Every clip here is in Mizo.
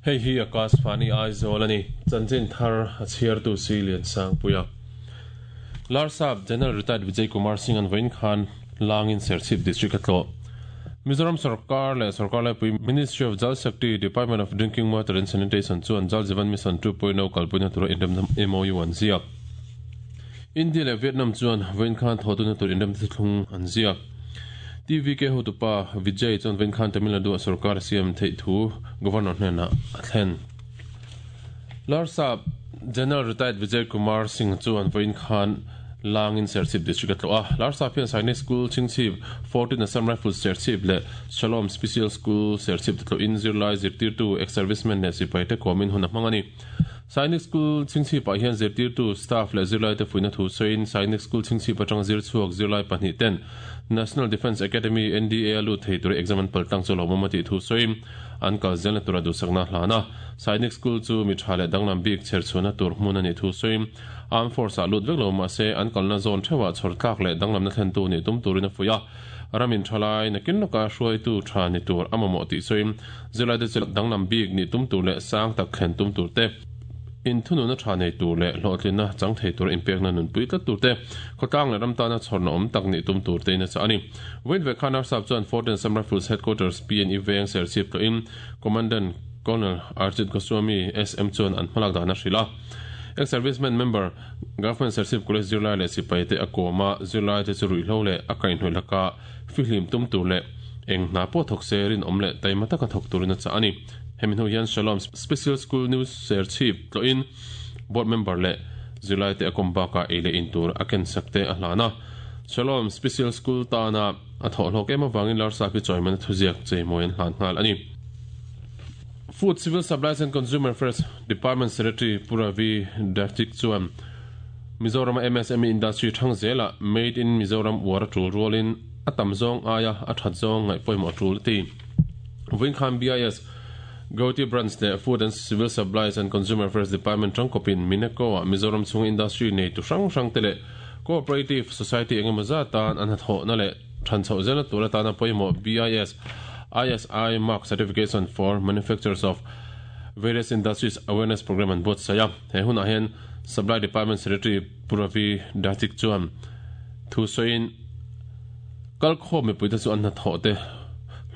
Hei hi Akashvani Aizawl a ni. Chanchin thar a chhiartu si Liansangpuia. Larsap General Retired Vijay Kumar Singh an vawiin khan Langin Serchhip District a tlawh. Mizoram Sorkar leh Sorkar Laipui Ministry of Jal Shakti, Department of Drinking Water and Sanitation chuan Jal Jeevan Mission 2.0 kalpuina tura inremna MOU an ziak. India leh Vietnam chuan vawiin khan thawhtuna tur inremna thuthlung an ziak. TVK hotupa Vijay chuan vawiin khan Tamil Nadu-ah sorkar a siam theih thu Governor hnenah a thlen. Larsap General Retired Vijay Kumar Singh chuan vawiin khan Langin Serchhip District a tlawh a. Larsap hian Sainik School Chhingchhip, 14 Assam Rifles Serchhip leh Shalom Special School Serchhip te tlawhin zirlai zirtirtu, ex-servicemen leh sipaite kawmin hun a hmang a ni. Sainik School Chhingchhipah hian zirtirtu, staff leh zirlaite fuihna thu sawiin Sainik School Chhingchhip atanga zir chhuak zirlai pahnih ten National Defence Academy, NDA, a lut thei tura exam an paltlang chu lawmawm a tih thu sawiin an kal zelna tura duhsakna a hlan a. Sainik School chu mi tha leh danglam bik chherchhuahna tur hmun a nih thu sawiin Armed Force-ah lut vek lo mahse an kalna zawn theuhah chhawr tlak leh danglamna thlentu nih tum turin a fuih a. Ram inthalai nakin lawka hruaitu tha ni tur a mamawh tih sawiin zirlaite chu danglam bik nih tum tur leh sang tak thlen tum tur te, inthununa tha nei tur leh hlawhtlinna chang thei tura inpekna nunpui tlat tur te, khawtlang leh ram tana chhawrna awm tak nih tum tur tein a chah a ni. Vawiin ve khan Arsap chuan Fort and Assam Rifles Headquarters PNE veng Serchhip tlawhin Commandant Colonel Arjit Goswami SM chuan an hmalak dan a hrilh a. Ex-serviceman member Government Serchhip College zirlai leh sipai te a kawm a, zirlai te chu ruihhlo leh a kaihhnawih laka fihlim tum tur leh eng hna pawh thawk se rinawm leh taima taka thawk turin a chah a ni. Hemi hnu hian Shalom Special School New Serchhip tlawhin Board member leh zirlai te a kawm bakah ei leh in tur a ken sak te a hlan a. Shalom Special School tana a thawhhlawk em avangin Larsap hi chawimana thuziak cheimawi an hlan nghal a ni. Food, Civil Supplies and Consumer Affairs Department Secretary Pu Ravi Daftik chuan Mizorama MSME industry thang zelah Made in Mizoram uar a tul rualin a tam zawng aia a that zawng ngaih pawimawh a tul a ti. Vawiin khan BIS, Guwahati Branch leh Food and Civil Supplies and Consumer Affairs Department tangkawpin Mineco-ah Mizoram chhunga industry neitu hrang hrangte leh Cooperative Society engemaw zat tan an hnathawhna leh Than chhoh zelna tur atana pawimawh BIS, ISI Mark Certification for Manufacturers of Various Industries Awareness Programme an buatsaih a. He hunah hian Supply Department Secretary Pu Ravi Datik chuan thu sawiin kalkhawm mipuite chu an hnathawh te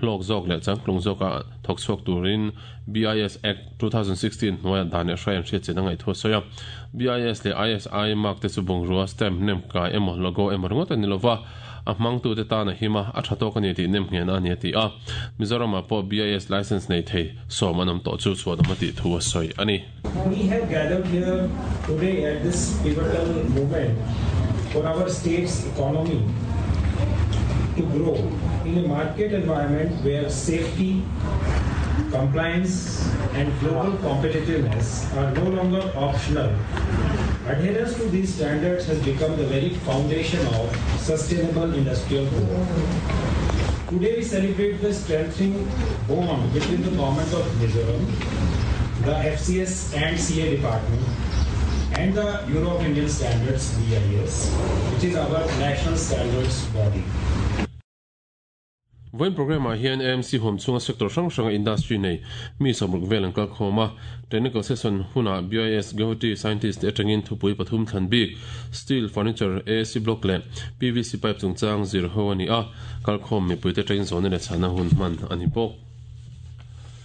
hlawk zawk leh changtlung zawka thawk chhuak turin BIS Act 2016 hnuaiah dan leh hrai an hriat chin a ngaih thu a sawi a. BIS leh ISI mark te chu bungrua, stamp, nem kai emaw logo emaw ringawt a ni lova, a hmangtute tan a him a, a tha tawk a ni tih nem nghehna a ni a ti a. Mizoramah pawh BIS license nei thei sawm an awm tawh chu chhuanawm a tih thu a sawi a ni. We have gathered here today at this pivotal moment for our state's economy to grow in a market environment where safety, compliance and global competitiveness are no longer optional. Adherence to these standards has become the very foundation of sustainable industrial growth. Today we celebrate the strengthening bond between the government of Mizoram, the FCS and CA department, and the Bureau of Indian Standards BIS, which is our national standards body. Vawiin programme-ah hian AMC huam chhunga sector hrang hranga industry nei mi 60 vel an kal khawm a. Technical session hunah BIS Guwahati scientist te atangin thupui pathum thlan bik, steel, furniture, AC block leh PVC pipe chungchang zir ho a ni a, kalkhawm mipuite atangin zawhna leh chhana hun hman a ni bawk.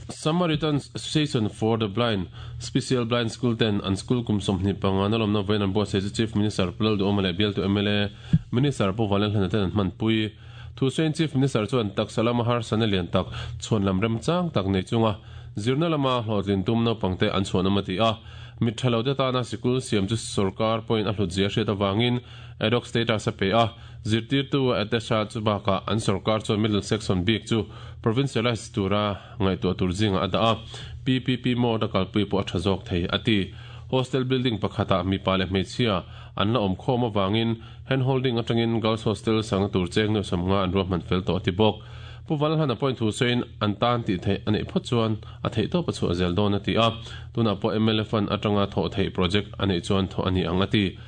Samaritans Association for the Blind, Special Blind School ten an school kum 25 na lawmna vawiin an buatsaih chu Chief Minister Pu Lalduhawma leh bialtu mla Minister Pu Vanlalhlana ten an hmanpui. Thusawiin Chief Minister chuan taksa lama harsatna lian tak chhuan lam remchang tak nei chunga zirna lama hlawhtlin tum naupangte an chhuanawm a ti a. Mit tha lote tana sikul siam chu sorkar pawhin a hlutzia hriat avangin ad hoc status a pe a. Zirtirtu Atesha chu bakah an sorkar chuan middle section bik chu provincialise tura ngaihtuah tur zingah a dah a, PPP mode a kalpui pawh a tha zawk thei a ti. Hostel building pakhatah mipa leh hmeichhia an la awm khawm avangin Hand holding atangin Girls Hostel sangna tur cheng nuai 50 an ruahman fel tawh a ti bawk. Pu Valhan a point thu sawiin an tan tih theih a neih phawt chuan a theih tawp a chhuah zel dawn a ti a, tunah pawh mla fund atanga thawh theih project a neih chuan thawh a ni ang a ti.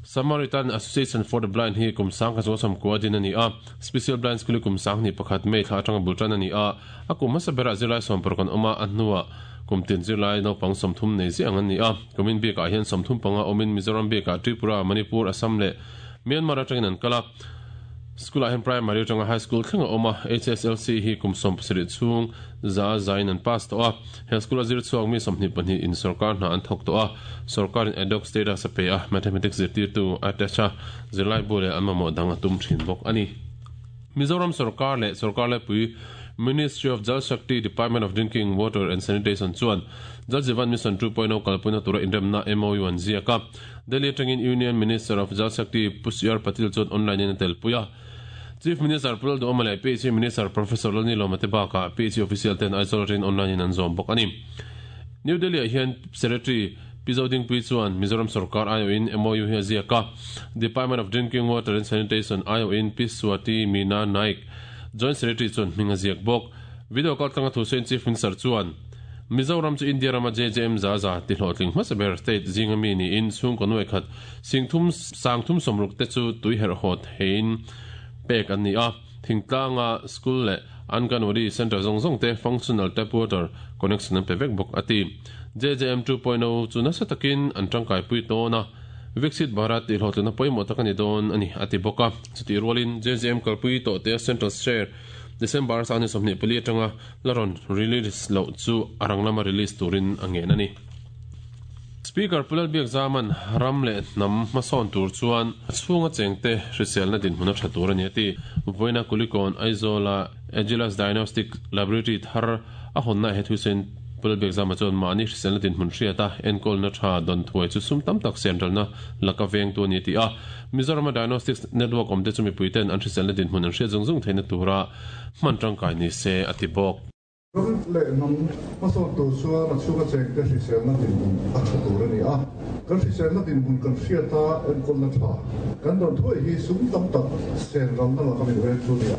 Samaritan Association for the Blind hi kum sang kha chuan 90 din a ni a, Special Blind School hi kum 21 May thla atanga bul tan a ni a, a kum hmasa berah zirlai 60 an awm a, a hnuah. Kum tin zirlai naupang 30 nei ziah ang an ni a. Kumin bikah hian 35 awmin Mizoram bikah Tripura, Manipur, Assam leh Myanmar atangin an kal a. School-ah hian Primary atanga High School thleng a awm a, HSLC hi kum 17 chhung za zain an pass tawh a. He school-a zir chhuak mi 22 in sorkar hna an thawk tawh a, sorkarin ad hoc status a pe a, Mathematics zirtirtu a attach a, zirlaibu leh an mamawh dang a tum thin bawk a ni. Mizoram sorkar leh sorkar laipui Ministry of Jal Shakti Department of Drinking Water and Sanitation chuan Jal Jeevan Mission 2.0 kalpuina tura inremna MOU an ziak a. Delhi atangin Union Minister of Jal Shakti Pu CR Patil chuan online in a telpui a. Chief Minister Pu Lalduhoma leh PHE Minister Professor Lalnilawma te bakah PHE official ten Aizawl atangin online in an zawm bawk a ni. New Delhi ah hian Secretary Pi Zodingpui chuan Mizoram sorkar aiawhin MOU hi a ziak a. Department of Drinking Water and Sanitation aiawhin Pi Swati Meena Naik, Joint Secretary chuan hming a ziak bawk. Video kaltlanga thu sawiin Chief Minister chuan, Mizoram chu India rama JJM za za ti hlawhtling hmasa ber state zinga mi niin chhungkaw nuai khat singthum sangthum sawmruk te chu tui herh haw theiin pek an ni a. Thingtlanga school leh Anganwadi centre zawng zawng te functional tap water connection an pe vek bawk a ti. JJM 2.0 chu nasa takin an tangkaipui tawn a, Viksit Bharat tih hlawhtlinna pawimawh tak a ni dawn a ni a ti bawk a. Chutih rualin JJM kalpui tawh te central share December sangni 24 atanga la rawn release loh chu a rang lama release turin a ngen a ni. Speaker Pu Lalbiakzaman ram leh hnam hmasawn tur chuan a chhunga chengte hriselna dinhmun a tha tur a ni a ti. Vawiina Kulikawn Aizawla Agilus Diagnostic Laboratory thar a hawnna he thusawiin Pu Lalbiakzama chuan mahni hriselna dinhmun hriata enkawlna tha dawn thuai chu sum tam tak senralna laka vengtu a ni a ti a. Mizorama Diagnostics Network awmte chu mipuiten an hriselna dinhmun an hriat zung zung theihna tura hman tangkai ni se a ti bawk. Ram leh hnam hmasawn tur chuan a chhunga chengte hriselna dinhmun a tha tur a ni a. Kan hriselna dinhmun kan hriat a, enkawlna tha kan dawn thuai hi sum tam tak sen ralna laka min veng thu a ni a.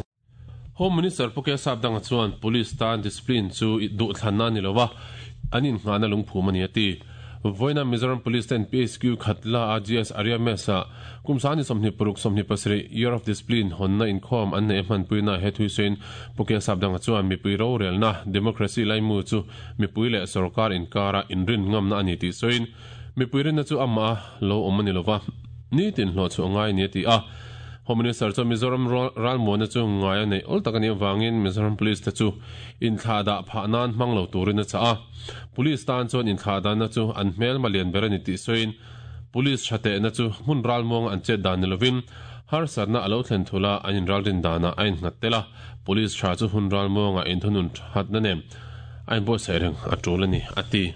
Home Minister Pu Kesap Danga chuan Police tan discipline chu duhthlanna a ni lo a, an innghahna lungphum a ni a ti. Vawiina Mizoram Police ten PHQ khat la a GS Arya Mess ah kum sangni 26 27 Year of Discipline hawnna inkhawm an neih a hmanpuina he thuisawiin Pu Kesap Danga chuan mipui rorelna democracy laimu chu mipui leh sorkar inkara inrin ngamna a ni tih sawiin mipui rinna chu amah a lo awm a ni lova nitin hlawh chhuah ngai a ni a ti a. Home Minister chuan Mizoram ralmuana chu ngai a neih awl tak a nih avangin Mizoram Police te chu inthlahdah phah nan hmang lo turin a chah a. Police tan chuan inthlahdanna chu an hmelma lian ber a ni tih sawiin Police tha tehna chu hmun ralmuanga an chet dan ni lovin harsatna a lo thlen thul a, an inralrin danah a innghat tel a, Police tha chu hun ralmuanga inthunun thatna nen a inbuatsaih reng a tul a ni, a ti.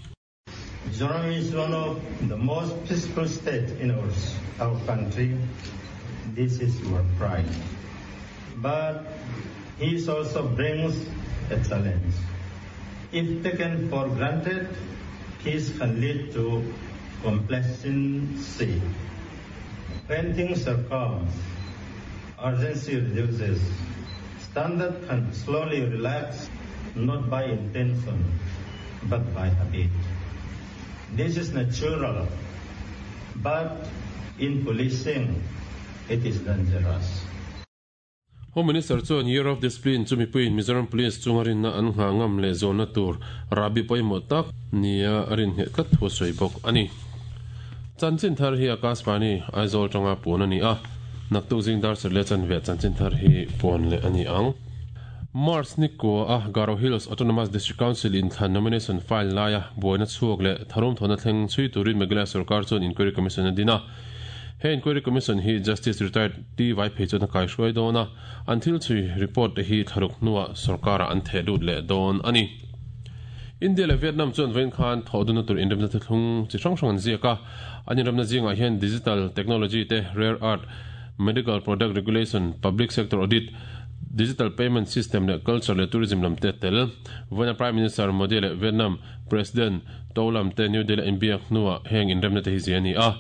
Mizoram is one of the most peaceful state in our our country. This is our pride. But peace also brings a challenge. If taken for granted, peace can lead to complacency. When things are calm, urgency reduces. Standard can slowly relax, not by intention, but by habit. This is natural, but in policing, it is dangerous. Home Minister chuan Year of Discipline chu mipuiin Mizoram Police chunga rinna an nghah ngam leh zawnna tur rahbi pawimawh tak nia a rin ngheh tlat thu a sawi bawk a ni. Chanchin thar hi Akashvani, Aizawl tanga puan a ni a, naktuk zing dar serh leh chanve chanchin thar hi puan leh a ni ang. March ni kua a Garo Hills Autonomous District Council inthlan nomination file laia buaina chhuak leh tharum thawhna thleng chhui turin Meghalaya sorkar chuan inquiry commission a din a. He inquiry commission hi Justice Retired T Vaiphei chuan a kaihruai dawn a, an thil chhui report te hi thlaruk hnuah sorkarah an theh lut leh dawn a ni. India leh Vietnam chuan vawiin khan thawhdunna tur inremna thuthlung chi hrang hrang an ziak a, an inremna zingah hian digital technology te, rare earth, medical product regulation, public sector audit, digital payment system leh culture leh tourism lam te a tel. Vawiina Prime Minister Modi leh Vietnam President To Lam te New Delhi a inbiak hnuah heng inremna te hi zia a ni a.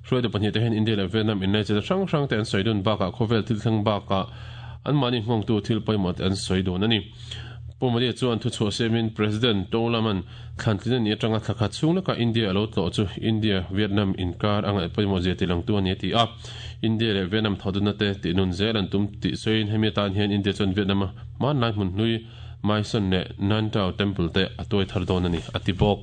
Hruaitu pahnihte hian India leh Vietnam inlaichelna hrang hrang te an sawi dun bakah khawvel thil thleng bakah anmahni nghawngtu thil pawimawh te an sawi dun a ni. Pu Modi chuan thuchhuah siamin President To Lam-a'n thlantlin a nih atanga thla khat chhung leka India a lo tlawh chu India-Vietnam inkar a ngaih pawimawh zia tilangtu a ni a ti a. India leh Vietnam thawhdunna te tihnun zel an tum tih sawiin hemi atan hian India chuan Vietnam-a hmanlai hmun hlui Myson leh Nantau Temple te a tuai thar dawn a ni, a ti bawk.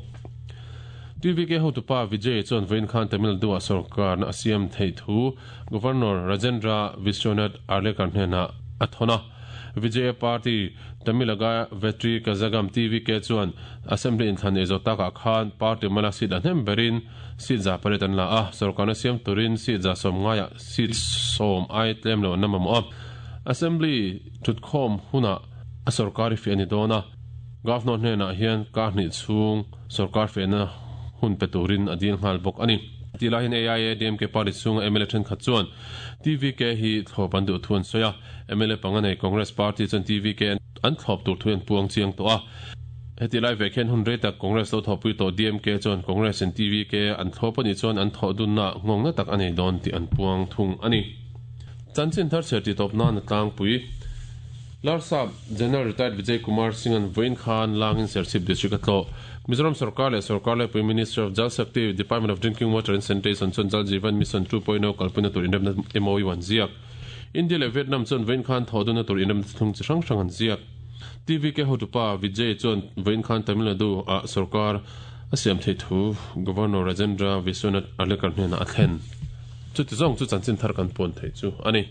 TVK hotupa Vijay chuan vawiin khan Tamil Nadu-ah sorkarna a siam theih thu Governor Rajendra Vishwanath Arlekar hnenah a thawn a. Vijaya Party Tamilaga Vetri Kazhagam, TVK, chuan Assembly inthlan ei zawh takah khan party mala seat a hnem berin seat 800 an la a, sorkarna siam turin seat 90 ah seat 10 ai tlem lo an la mamawh a. Assembly thutkhawm hunah a sorkar i fiah a ni dawn a, Governor hnenah hian kar hnih chhung sorkar fiahna hun pe turin a dil nghal bawk a ni. Tih lai hian AIADMK party chhunga mla thenkhat chuan TVK hi thlawp an duh thu an sawi a, mla panga nei Congress party chuan TVK an thlawp tur thu an puang chiang tawh a. Hetih lai vek hian hun rei tak Congress lo thawhpui tawh DMK chuan Congress in TVK an thlawp a nih chuan an thawh dunna nghawngna tak a nei dawn tih an puang thung a ni. Chanchin thar chhiar tih tawp nan a tlangpui. Larsap General Retired Vijay Kumar Singh-a'n vawiin khan Langin Serchhip District a tlawh. Mizoram Sorkar leh Sorkar Laipui Ministry of Jal Shakti, Department of Drinking Water and Sanitation chuan Jal Jeevan Mission 2.0 kalpuina tur inremna MOU an ziak. India leh Vietnam chuan vawiin khan thawhdunna tur inremna thlung chi hrang hrang an ziak. TVK hotupa Vijay chuan vawiin khan Tamil Nadu ah sorkar a siam theih thu Governor Rajendra Vishwanath Arlekar hnenah a thlen. Chuti zawng chu chanchin thar kan puan theih chu a ni.